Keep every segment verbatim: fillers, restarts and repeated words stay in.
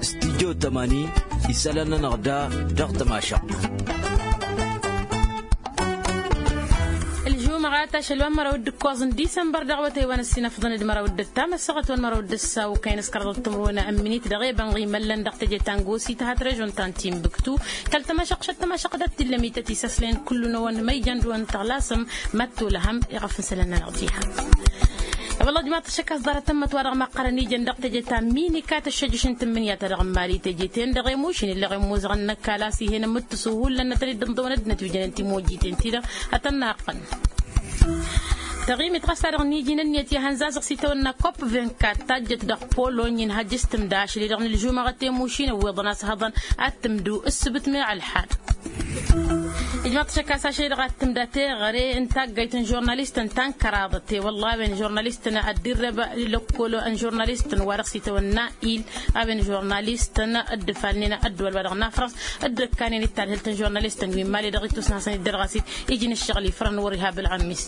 Studyo tămani isălan-nănăɣ da dăɣ-tămašăɣt. Ălžumăɣat ašăl wa n-măraw d-ǝkkoẓ n-disămbăr dăɣ-awătay wa n-ăssinăfḍăn d-măraw d-ăttam ăssaɣăt wa n-măraw d-ăssaw kăyăn s-kăraḍăt timǝrwen n-imǝnit dăɣ-ebănɣ imăllăn dăɣ-teje ta n-gosit hat režon ta n-timbuktu. Kăl-tămašăɣt šăt-tămašăɣt dat-t-illăm ităt isăslen kullu-năwăn ma ijăn dăɣ-wăn tăɣlasăm. Măttu lăhăm iɣăf n-isălan-nănăɣ diha. Wălla ăjmaḍ-t ăššăk a-s ḍarăt ămmăt wa-dăɣ maqqărăn ijăn dăɣ-teje ta n-minika tăššăjjăš n-tǝmmǝnǝya-ta-dăɣ n-mali teje-ten-dăɣ i-mušin ǝlleɣ i-imuzăɣăn n-ăkall a-s ih'-en ămmǝttǝsu hullan ad-tăn-dd-ǝnḍăwăn ăddinăt wi jănen timojjiten-ti-dăɣ ad-tăn-naqqăn. Taɣimit ɣas a-dăɣ n-iji n-ǝnniyăt i-ihănzazăɣ s-itawănna kopp vingt-quatre tajjăt dăɣ-polonyi n-hajj s-tǝmda ašăl-i-dăɣ n-ǝlžumăɣăt i-mušin ăwweḍăn a-s hăḍăn ad-tǝmdu ǝssǝbǝt meɣ ălḥad. Ijmaḍ-t šăkk a-s ašăl-i-dăɣ ad-tǝmda teɣăre n-taggayt n-žurnalistăn ta n-kăraḍăt i-wălla a-wen žurnalistăn ad-dd-irreb lăkkol n-žurnalistăn wa dăɣ-s itawănna il a-wen žurnalistăn dd-ǝfalnen ăddăwăl wa dăɣ-nafrăs dd-ǝkkanen i-tadhǝlt n-žurnalistăn wi n-mali dăɣ-ittus n-hasăn-dd-ărɣas-dd iji n-ǝššăɣǝl ifrăn wăr-iha bǝlɣămmis.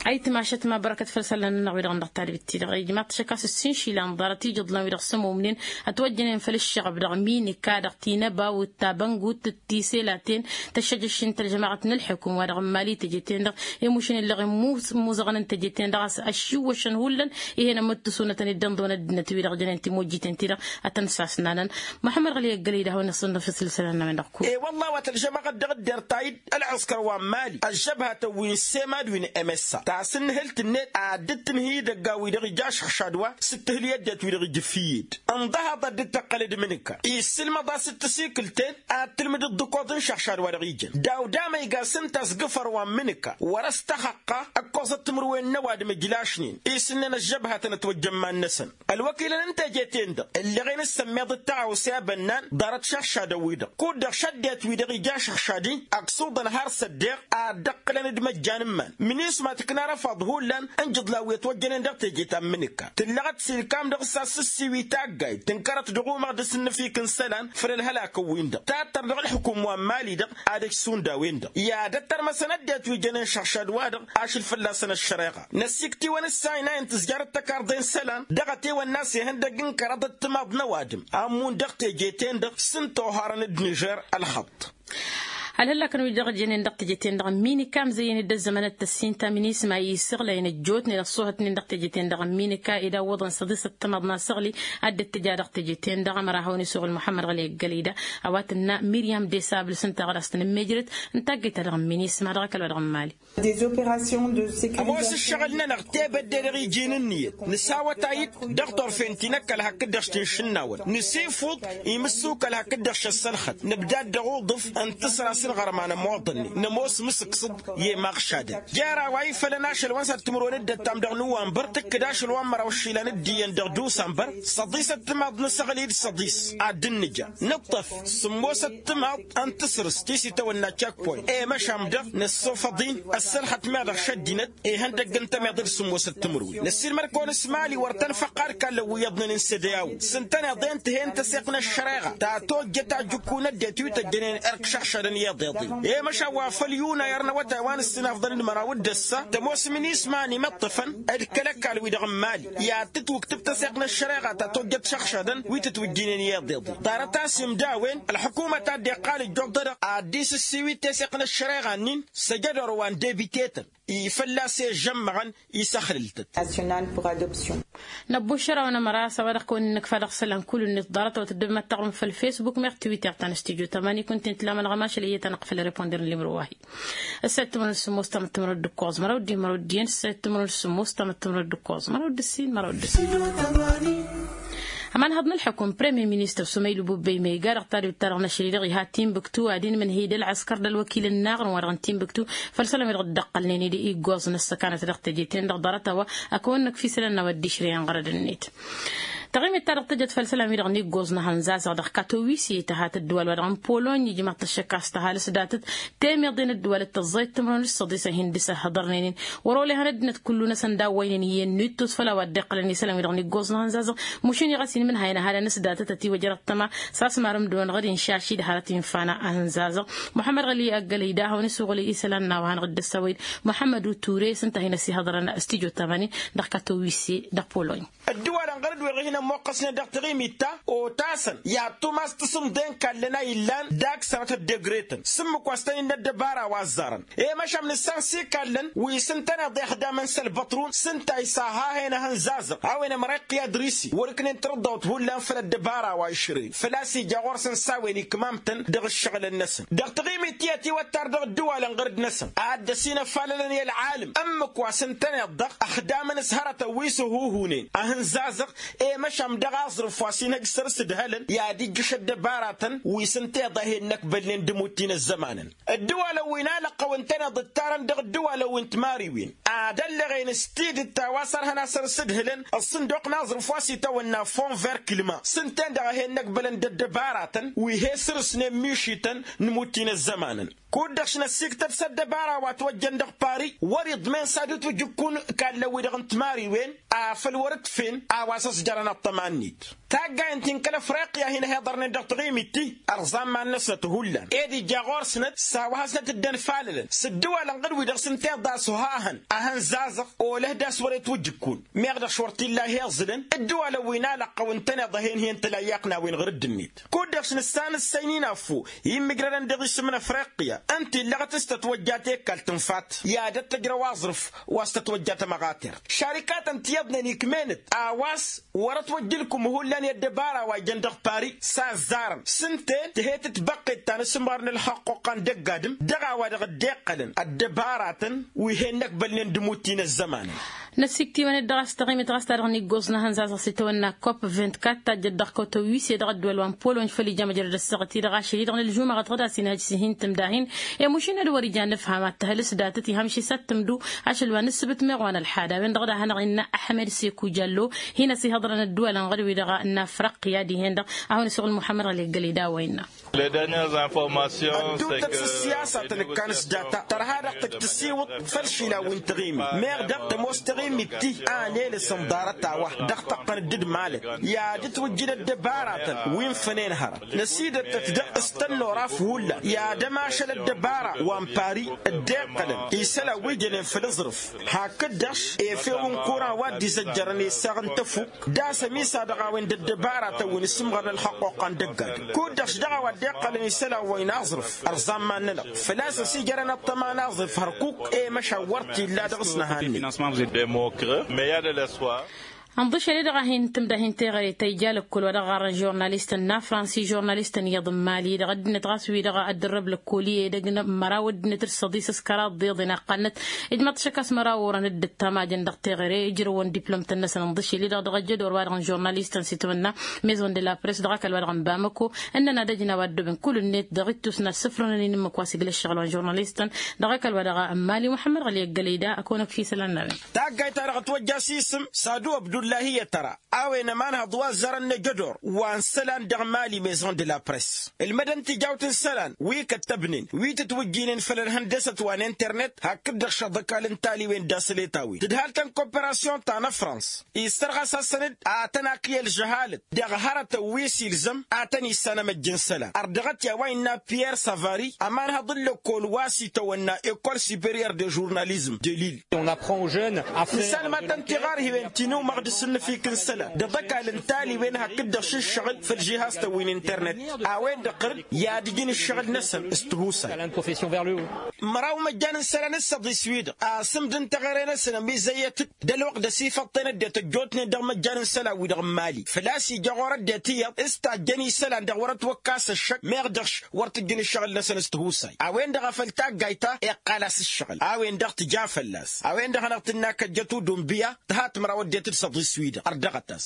Ayǝtmašăt ma bărăkăt făll-isălan-nănăɣ wi-dăɣ n-dăɣ-tadbit-ti-dăɣ ijmaḍ-t šăkk a-s ǝssin išilan ḍarăt ijǝḍlăn wi-dăɣ s-ămumnen ătwăjjănen făll-ǝššăɣăb dăɣ-minika dăɣ-tinăba wǝtta băngut d-tiselaten tăššăjăš n-tălžămaɣăt n-ălḥukum wa dăɣ-n mali teje-ten-dăɣ i-mušin ǝlleɣ i-muzăɣăn n-teje-ten-dăɣ a-s ăššiwwăšăn hullan. Ih'-en ămmǝttǝsu n-ad-tăn-dd-ănḍăwăn ăddinăt-wi-dăɣ jănen timojjiten-ti-dăɣ ad-tăn-sasnanăn. Muḥămmăd ɣăli ăggălăy d-ahăwăn isǝnnăf isǝlsălan-năwen dăɣ-kul. E-wălla a-wa tălžămăɣăt dăɣ-dd-ertayǝd ălɣǝskăr wa n-mali ăžžăbhătăn wi n-semad wi n-emessa tasǝnnǝhǝlt-net ad-dd-tǝnhǝy idăggan-wi-dăɣ ija ašăɣšad wa s-ǝttǝhǝl i-ăddinăt-wi-dăɣ ija ǝffǝyyed. Ǝnḍăhaḍ ad-dd-tăqqălăd mǝnǝka isǝlmăḍ-as d-tǝsikǝlt-en ad-tǝlmǝdăd d-ǝkkoẓ n-išăɣšad wa dăɣ-ijăn daw-damăyga s-ǝnta a-s gǝfăr wa n-mǝnǝka wăr-ăstăxăqqa ǝkkoẓăt timǝrwen n-ăwadǝm ǝjlašnen. Isǝnnen ăžžăbhătăn ătwăjjăn iman-năsăn ălwăkilăn n-teje-ten-dăɣ ǝlleɣen s-sămmeḍ d-taɣawse abănnan ḍarăt išăɣšadăn-wi-dăɣ kud-dăɣ šăddinăt-wi-dăɣ ija ašăɣšad-i ăksuḍăn har s-ăddeɣ ad-dd-ăqqǝlăn d-imăjjan n-iman. Mǝnisma tǝkna arăfaḍ hullan n-ijǝḍlan wi ătwăjjănen dăɣ-teje ta n-imǝnǝkka tǝllăɣăt s-ilkam dăɣ-s a-s ǝssiwi taggayt tǝnkărăt dăɣ-umăɣ d-asǝnnǝfik n-isălan făll-ălhălak n-win-dăɣ tattăr dăɣ-ǝlḥǝkum wa n-mali-dăɣ ad-ăj šund a-wen-dăɣ i-ad-ăttărmăsăn ăddinăt wi jănen šăɣšad-wa-dăɣ ašăl fălla-săn ăššăreɣa. Năsikt'-iwăn s-ayna-in tǝzjarăt tăkarḍe n-isălan dăɣ-ătewănna s-ihăndăgg n-kăraḍăt timaḍ n-ăwadǝm a ǝmmun dăɣ-teje-ten-dăɣ s-ǝnta oharăn d-nižer ălxăḍḍ. Ălhăllakăn wi-dăɣ jănen dăɣ-teje-ten-dăɣ n-minika ămzăyyăn-dd ăzzămănăt tăssinta minisma isăɣlăyăn ăjjootnen ăṣṣuhătnen dăɣ-teje-ten-dăɣ n-minika ed a ǝwwăḍăn săḍisăt timaḍ n-asăɣli ad-dd-tǝja dăɣ-teje-ten-dăɣ ămăra hawăn-isuɣǝl muḥămmăd ɣăli ăggălăy da. A-wa tǝnna miryam desabǝl s-ǝnta ɣur-a-s tăn-ămmejrăt n-taggăyt-ta-dăɣ n-minisma dăɣ-ăkall wa dăɣ-n mali. Ămoos ǝššăɣǝl-nănăɣ tebădde dăɣ-iji n-ǝnniyăt nǝsawătay-dd dăɣ-torfen ti n-ăkall hakd-dăɣ s-tinšǝnnawăn nǝsifuḍ imǝssuk ălhak d-dăɣ-šăssălxăt nǝbdad dăɣ-uḍǝf n-tǝsra s-ǝlɣărma n-ămoḍănnen nămoos mǝsǝksǝḍ i-imaɣšadăn jer-a-wa ifălăn ašăl wa n-săr timǝrwen d-ăttam dăɣ-nuwănbăr tǝkkǝd ašăl wa n-măraw išilan d-iyyăn dăɣ-dusănbăr săḍisăt timaḍ n-asăɣli d-săḍis ad-dd-nǝja nǝṭṭăf sǝmmosăt timaḍ n-tasrǝst ti s-itawănna cekpoy i-măšan dăɣ-năssofăḍ-in ăssălxăt meɣ dăɣ-šăddinăt ihăndăgg n-tămeḍe d-sǝmmosăt timǝrwen năssiilmăd-kăwăn s-mali wăr tăn-făqqad kallăn wi iyyăḍnen n-sădeyaw s-ǝntăneḍ-en tǝhen tăseɣt n-ăššăreɣa ta tojjăt ajǝkku n-ăddinăt wi tăjjănen erk šăɣšadăn iyyăḍ iḍen i-măšan wa făll-yunay ărnăwătay wa n-ǝssinafḍăn d-măraw d-ăssa tămoos minisma n-imǝṭṭǝfăn d-kăl-ăkall-wi-dăɣ n-mali i-ad-tǝtwǝktǝb tăseɣt n-ăššăreɣa ta tojjăt šăɣšadăn wi tǝtwǝjjǝynen iyyăḍ iḍen ḍarăt-as imdawen ălḥukumăt a dd-iqqal ǝjjuḍ-ta-dăɣ ad-dd-isǝssiwǝy teseɣt n-ăššăreɣa-nin s-ejădor wa n-debitetăn i-fălla-s i-ăžžămmăɣăn isăxlǝl-tăt. Năbbušăr-awăn ămăra a-s a-wa dăɣ-kăwăn-innăkfa dăɣ-isălan kull-net ḍarăt a-wa tăddăbem ad-taɣrǝm făll-fesbuk meɣ twitter ta n-studyo tămani kunta-in tǝla amănɣămašăl iyyăt anăɣ făll-reponder n-limro wa-hi. Ăssayăt timǝrwen s-sǝmmos tamăttămrăd d-ǝkkoẓ măraw d-i măraw d-iyyăn ăssayăt timǝrwen s-sǝmmos tamăttămrăd d-ǝkkoẓ măraw d-ǝssin măraw d-ǝssin. Ămanhăḍ n-ălḥukum premier ministăr sumaylu bubbey ma iga dăɣ-tadwit-ta-dăɣ n-ašăl-i-dăɣ iha timbuktu ad-inmǝnhǝy d-ălɣăskăr d-ălwăkil n-inaɣrǝn wa dăɣ-n timbuktu făll-isălan wi dăɣ-dd-ăqqălnen-dd iggoẓ n-ăssăkanăt dăɣ-teje-ten-dăɣ ḍarăt a-wa ăkăwănnăk f-isălan n-a-wa dd-išrăyăn ɣărăd-net. Taɣimit-ta-dăɣ tǝjăt făll-isălan-wi-dăɣ n-iggoẓ n-ehăn zazăɣ dăɣ-katowisye tăhat ăddǝwal-wa-dăɣ n-polony ijmaḍ-t ăššăk a-s tăhalǝs datăt temeḍe n-ăddǝwal d-tăẓẓayt timrăwăn d-săḍisăn hin-dăɣ-s ăhhăḍărnen-in. Wăr-olehăn ăddinăt kullu-năsăn d-a-wa ăynăyăn n-ittus făll-a-wa dd-iqqălăn isălan-wi-dăɣ n-iggoẓ n-ehăn zazăɣ. Mušin iɣăs-in mǝnhayăn ăhalăn s-datăt ătiwăjrăt tăma s-asmar ǝmdǝwăn ɣǝd inšaši d-hărăt infa n-ehăn zazăɣ. Muḥămmăd ɣăli ăggălăy d-ad-hawăn-isuɣǝl isălan n-a-wa hanăɣ-dd-ăssăwăyăn muḥămmăd u ture s-ǝnta a hin-ăsihăḍărăn s-tijo tamanin dăɣ-katowisye dăɣ-polony. Ăddǝwalăn ɣărăt wi-dăɣ hin-ămmoqqăsnen dăɣ-taɣimit-ta otasăn i-ad-tumas tasǝmḍe n-ikallăn a illan d-aksărăt ăddegretăn s-ǝmmǝk wa s-tăn-innă ăddăbara wa ăzzarăn. I-măšan nǝssan s-ikallăn wi s-ǝntăneḍ i-ăxdamăn s-ălbăṭrun s-ǝnta a isaha-hen ehăn zazăɣ a-wen ămrăyqǝy adrisi wăr-ǝknen tărǝḍḍăwt hullan făll-ăddăbara wa išrăyăn făl-a-s ija ɣur-săn s-a-wen ikmamtăn dăɣ-ǝššăɣǝlăn-năsăn dăɣ-taɣimit ti ătiwăttar dăɣ-ǝddǝwalăn ɣărăt-năsăn. Ad-dd-ăsinăfalălăn i-ălɣalǝm ǝmmǝk wa s-ǝntăneḍ-dăɣ ăxdamăn s-hărătăn wi s-ăhuhunen ehăn zazăɣ. I-măšan dăɣ-aẓrǝf wa s-inhăj săr-s ǝdhălăn i-ad-ijjǝš ăddăbaratăn wi s-ǝnta iḍa he-innăkbălnen d-imutti n-ăzzămanăn. Ǝddǝwalăn wi n-alăqqăw ǝntăneḍ ǝttarăn dăɣ-ǝddǝwalăn wi n-timariwen ad-ăllăɣen s-tidǝt ta wa s-ărhăn a săr-s ǝdhǝlăn ăṣṣǝnduq n-aẓrǝf wa s-itawănna fond ver climat s-ǝnta-en-dăɣ a he-innăkbălăn d-ăddăbaratăn wi he-săr-snen mišităn n-imutti n-ăzzămanăn. Kud-dăɣ š-năssiktăt s-ăddăbara wa ătwăjjăn dăɣ-pari wăr-iḍmen s-ad-utwǝj ǝkkun ikallăn-wi-dăɣ n-timariwen afăl wăr-ǝtfen a-wa s-ăẓjărăn ăṭṭăma-net. Taggayăn ti n-kăl-afriqya a hin-ăhiḍărnen dăɣ-taɣimit-ti ărẓan iman-năsnăt hullan ed ija ɣur-snăt s-a-wa hasnăt dd-ănfalălăn s-ǝddǝwalăn ɣǝd-wi-dăɣ s-ǝnta iḍa s-ohahăn ehăn zazăɣ olăh d-a-s wăr-itwǝjj ǝkkun. Meɣ dăɣ-š wăr t-illa a hi-iẓǝlăn ǝddǝwalăn wi n-alăqqăw ǝntăneḍ a hen-hen tǝlayyaɣ n-a-wen ɣǝr-dd-net. Kud-dăɣ š-nǝssan ǝssăynǝy n-affu i-immǝjrădăn dăɣ-isǝm n-afriqya ǝnta illăɣăt s-tătwăjja tekalt n-fat i-ad-ăttăjrăw aẓrǝf wa s-tătwăjja tămăɣatert šarikatăn ti iyyăḍnen ikmen-dd a-wa s-wăr ătwăjja ǝlkǝm hullan i-ăddăbara wa jăn dăɣ-pari s-azzarăn s-ǝnta-en tǝhe-t tibăqqet ta n-asǝmɣar n-ălxăqquqa n-dăgg-adǝm dăɣ-a-wa-dăɣ dd-iqqălăn ăddăbaratăn wi he-innăkbălnen d-imutti n-ăzzămanăn. Năssikt'-iwăn-dd ɣas taɣimit ɣas ta-dăɣ n-iggoẓ n-ehăn zazăɣ s-itawănna kopp vint-kat tajjăt dăɣ-kăwtăw wi s-e-dăɣ ăddăwăl wa n-polony făll-ija măjrăd ăssaɣăt-i-dăɣ ašăl-i-dăɣ n-ălžumăɣăt ɣǝd a-s inhăj s-hin-tǝmdahin. I-mušin ad-wăr-ija n-ǝfham ad-tăhăl s-datăt ihăm šisat tǝmdu ašăl wa n-ǝssǝbǝt meɣ wa n-ălḥad a-wen-dăɣ d-ad-hanăɣ-innă ăḥmed seku jallo. Hin-ăsihaḍărăn ăddăwălăn ɣăr-wi-dăɣ n-afrăqqǝya dihen-dăɣ a hawăn-isuɣǝl muḥămmăd ɣăli ăggălăy d-a-wa innă. Ădduutăt s-ǝssiyasatăn ǝkkan s-data tărha dăɣ-tǝjj tǝsiwǝḍ făll-išilawen n-taɣimit meɣ dăɣ-tămoos taɣimit ti a n-elăsăn ḍarăt-a-wa dăɣ-tăqqăn dd-malăt i-ad-ǝtwǝjjǝn ăddăbaratăn wi n-fănen hărăt. Năsidăttăt dăɣ-s tănnoraf hullan i-ad-ămašăl ăddăbara wa n-pari dd-iqqălăn isălan wi jănen făll-aẓrǝf. Hakd-dăɣ efew n-kuran wa dd-izăjjărăn isaɣ n-tăfuk d-asăm isa dăɣ-a-wen d-ăddăbaratăn wi n-asǝmɣărăn ălxăqquqa n-dăgg-adǝm kud-dăɣ š-dăɣ-a-wa dd-iqqălăn isălan wa n-aẓrǝf. Ărẓan iman-nănăɣ făl-a-s ăsijărăn ăṭṭăma n-aẓrǝf hărkuk i-măšan wăr t-illa dăɣ-s nǝhanne. Ănḍǝšel-i-dăɣ a hin-tǝmda hin-teɣăre ta ija lăkkol wa dăɣ-ɣarrăn žurnalistăn n-afrans i-žurnalistăn iyyăḍ n-imali-dăɣ ăddinăt ɣas wi-dăɣ a dd-ărrăb lăkkol-i edăgg n-măraw ăddinăt d-săḍis s-kăraḍ d-iḍen a ǝqqănnăt. Ijmăḍ-t šăkk a-s măraw orăn dd-ǝttamajăn dăɣ-teɣăre ǝjrăwăn diplomtăn-năsăn ǝnḍǝšel-i-dăɣ dăɣ-ăjjădor wa-dăɣ n-žurnalistăn s-itmănna maison de la press dăɣ-ăkall wa dăɣ-n bamăko. Ǝnnăn ad-ăjnaw ad-dd-obin kull-net dăɣ-ittus n-ad-sǝfrănăn-in ǝmmǝk wa s-iglăššăɣǝl wa n-žurnalistăn dăɣ-ăkall wa dăɣ-n mali muḥămmăd ɣăli ăggălăy-da ăkăwănăk fi isălan n-a-wen. Taggayt-ta-dăɣ ătwăjja s-isǝm sadu abdullahi i-tăra a-wen ămanhăḍ wa ăzzarăn n-ejădor wa n-isălan dăɣ-mali maison de la press ǝlmădăn tijawt n-isălan wi kăttăbnen wi tǝtwǝjjinen făll-ălhăndăsăt wa n-internet hakd-dăɣ šăḍăkal n-taliwen d-asălet a-wen tǝdhal-tăn koperasyon ta n-afrans. Issărɣas-asăn-dd ad-tăn-ak i-ălžăhalăt dăɣ-hărătăn wi s-ilzăm ad-tăn-issanăm ăjj n-isălan ărdăɣăt i-a-wa innă pierre savari ămanhăḍ n-lăkkol wa s-itawănna ekol superior de žurnalizm de lil. Nǝssanăm ad-tăn-tiɣarhiwen ti n-umăɣ d-asǝnnǝfik n-isălan d-aḍăkal n-taliwen hakd-dăɣ šǝššăɣǝl făll-žihastăn wi n-internet a-wen-dăɣ ɣǝr-dd i-ad-ǝjǝn ǝššăɣǝl-năsăn s-tihusay. Măraw imăjjan n-isălan s-săḍis wi-dăɣ asǝmd n-teɣăre-năsăn ămizăyyăt-dd d-ălwăqq d-asifăḍten ăddinăt ăjjootnen dăɣ-imăjjan n-isălan-wi-dăɣ n-mali făl-a-s ija ɣur-ăddinăt iyyăḍ s-tajjăn isălan dăɣ-wăr-ătwăkkas ăššăk meɣ dăɣ-š wăr tǝjjǝn ǝššăɣǝl-năsăn s-tihusay. A-wen-dăɣ a făl taggayt-ta iqqal-as ǝššăɣǝl a-wen-dăɣ tǝja fălla-s a-wen-dăɣ hanăɣ-tǝnna kăjjăt udumbiya tǝha timraw ăddinăt d-săḍis. s-wi-dăɣ ărdăɣăt-as.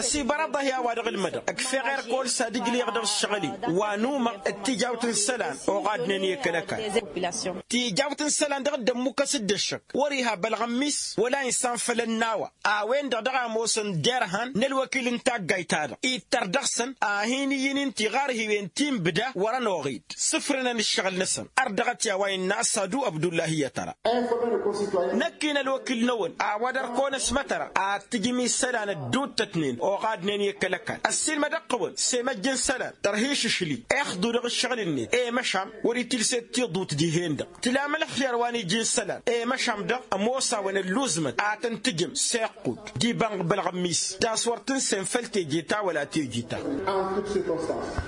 Ăsibărăḍ-ahi a-wa dăɣ-ǝlmădăɣ ǝkfeɣ erk oll s-ad-ǝjleɣ dăɣ-ǝššăɣǝl-i wa număɣ d-tijawt n-isălan oɣadnen i-kăl-ăkall. Tijawt n-isălan dăɣ-dd-ămmukăs-dd ăššăk wăr-iha bălɣămmis wăla insan făll-ănn a-wa a-wen-dăɣ dăɣ-a ămoosăn derhan n-ălwăkil n-taggayt-ta-dăɣ ittăr dăɣ-săn. Ad-hin-iyyǝn ǝnta iɣarhiwen ti n-ibda wăr-ănoɣ-dd sǝfrǝnăn ǝššăɣǝl-năsăn. Ărdăɣăt i-a-wa innă ăsadu ăbdullahi i-ad-tăra. Năkk-in ălwăkil-năwăn a-wa dăr-kăwăn ăsmătăra ad-tǝjǝm isălan ădduuttătnen oɣadnen i-kăl-ăkall ăssiilmădăɣ-tăwăn s-emăjj n-isălan tărha išǝšli ixḍu dăɣ-ǝššăɣǝl-net i-măšan wăr-itilset tiḍut dihen-dăɣ tǝla amălăxyar wa n-iji n-isălan i-măšan dăɣ-ămoos-awăn ălluẓmăt ad-tăn-tǝjǝm s-iqqud d-iba n-bălɣămmis d-a-s wăr tǝnsen făll-teje ta wăla teje ta.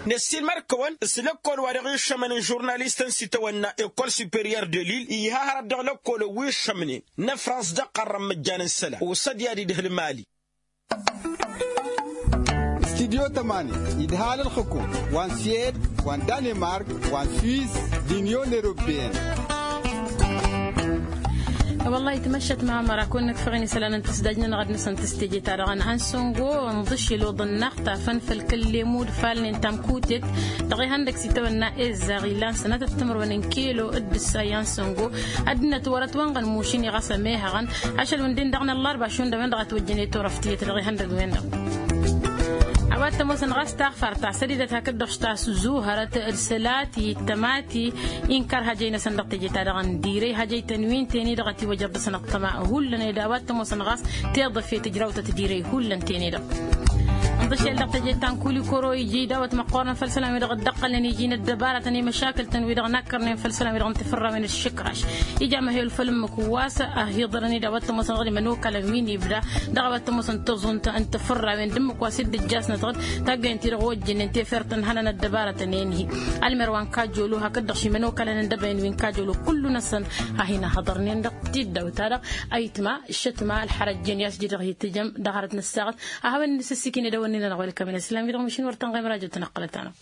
Năssiilmăd-kăwăn s-lăkkol wa dăɣ-iššămăn n-žurnalistăn s-itawănna ekol superior de lil iha hărăt dăɣ-lăkkolăn wi ǝššămnen n-ăfrans dăɣ-iqqărrăn măjjan n-isălan osăd i-ad-idhǝl mali. Studyo tămani idhal ǝlxǝkum wa n-suwed wa n-danemark wa n-swiss d-inyon eropeyăn. Wăllah itmăššăt mamăra kăwăn-nǝkfăɣ-in isălan n-tǝsdaj-nănăɣ ad-nǝsăn tǝsteje-ta-dăɣ n-ansăngo. Ǝnḍǝšel oḍăn-năɣ tafăn făll-kăl-lemu d-ifalnen tamkutet dăɣ-ihăndăg s-itawănna ezzaɣ ilan sănatăt timǝrwen n-kilo d-ǝssa i-ansăngo. Ăddinăt wăr-ătwănɣăn mušini ɣas ămehăɣăn ašăl wǝnden-dăɣ n-ăllărba šund a-wen-dăɣ a ătwăjjăn i-turăft tiyyăt dăɣ-ihăndăg-wen-dăɣ. A-wa t-ămoosăn ɣas taɣfart ta sădidăt hakd-dăɣ s-tasǝzuhărăt d-sălati d-tămati inkăr hajăy-năsăn dăɣ-teje-ta-dăɣ n-dirăy hajăy-tăn wi n-ten-i-dăɣ ătiwăjăḍ dăɣ-săn ăṭṭăma hullan ed a-wa t-ămoosăn ɣas tiḍǝf i-tǝjrawtăt dirăy hullan ten-i-dăɣ. Ǝnḍǝšel dăɣ-teje ta n-kuli kăro iji dawăt măqqoorăn făll-isălan-wi-dăɣ dd-ăqqălnen iji n-ăddăbarătăn i-măšakǝl-tăn-wi-dăɣ nakkărnen făll-isălan-wi-dăɣ n-tifǝrrawen d-išǝkraš. Ija măhewăl făll-ǝmmǝk wa s-ăhiḍărăn-dd a-wa t-ămoosăn ɣur-i imănokalăn wi n-ibda dăɣ-a-wa t-ămoosăn taẓunt n-tifǝrrawen d-ǝmmǝk wa s-dd-ǝjjasnăt ɣǝd taggăyăn-ti-dăɣ ojjǝnnen tefert n-ihănăn ăddăbarătăn i-ănhi. Ălmer wa n-kajolo hakd-dăɣ šimănokalăn n-dăbăyăn wi n-kajolo kullu-năsăn a hin-ăhhăḍărnen dăɣ-tiddawt-ta-dăɣ. Ayǝtma ǝššătma ălxărăjjen i-a-s iji dăɣ-hi-tǝjăm dăɣ-hărăt n-ăssaɣăt a hawăn-in-nǝsǝssikǝn edăwănnin-anăɣ welkămen ăslam-i-dăɣ mašin wăr tănɣem rajăt-năɣ qălăt-anăɣ.